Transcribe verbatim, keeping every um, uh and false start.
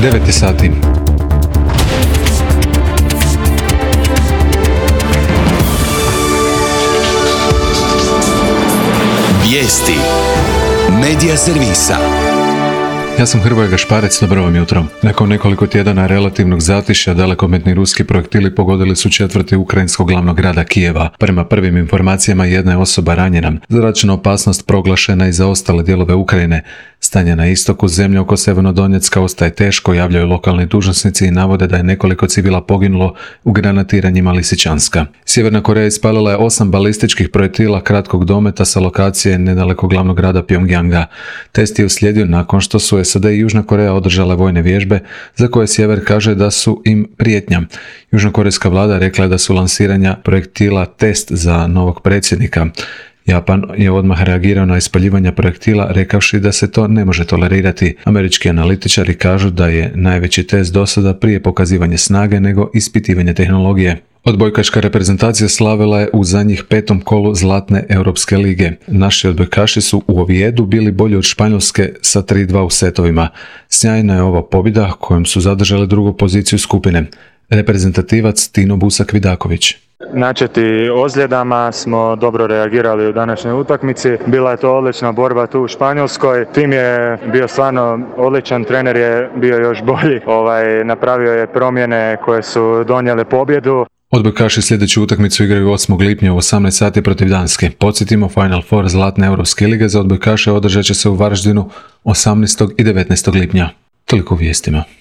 devet je sati. Vijesti Medija servisa. Ja sam Hrvoje Gašparec, dobro vam jutro. Nakon nekoliko tjedana relativnog zatišja, dalekometni ruski projektili pogodili su četvrti ukrajinskog glavnog grada Kijeva. Prema prvim informacijama jedna je osoba ranjena. Zračna opasnost proglašena i za ostale dijelove Ukrajine. Stanje na istoku zemlje oko Sjevernodonjecka ostaje teško, javljaju lokalni dužnosnici i navode da je nekoliko civila poginulo u granatiranjima Lisičanska. Sjeverna Koreja ispalila je osam balističkih projektila kratkog dometa sa lokacije nedaleko glavnog grada Pjongjanga. Test je uslijedio nakon što su S A D i Južna Koreja održale vojne vježbe za koje Sjever kaže da su im prijetnja. Južnokorejska vlada rekla je da su lansiranja projektila test za novog predsjednika. Japan je odmah reagirao na ispaljivanje projektila rekavši da se to ne može tolerirati. Američki analitičari kažu da je najveći test do sada prije pokazivanje snage nego ispitivanje tehnologije. Odbojkaška reprezentacija slavila je u zadnjih petom kolu Zlatne Europske lige. Naši odbojkaši su u Ovijedu bili bolji od Španjolske sa tri dva u setovima. Sjajna je ova pobjeda kojom su zadržali drugu poziciju skupine. Reprezentativac Tino Busak-Vidaković. Načeti ozljedama smo dobro reagirali u današnjoj utakmici. Bila je to odlična borba tu u Španjolskoj. Tim je bio stvarno odličan, trener je bio još bolji. Ovaj, napravio je promjene koje su donijele pobjedu. Odbojkaši sljedeću utakmicu igraju osmog lipnja u osamnaest sati protiv Danske. Podsjetimo, Final Four Zlatne Europske lige za odbojkaše održat će se u Varaždinu osamnaestog i devetnaestog lipnja. Toliko u vijestima.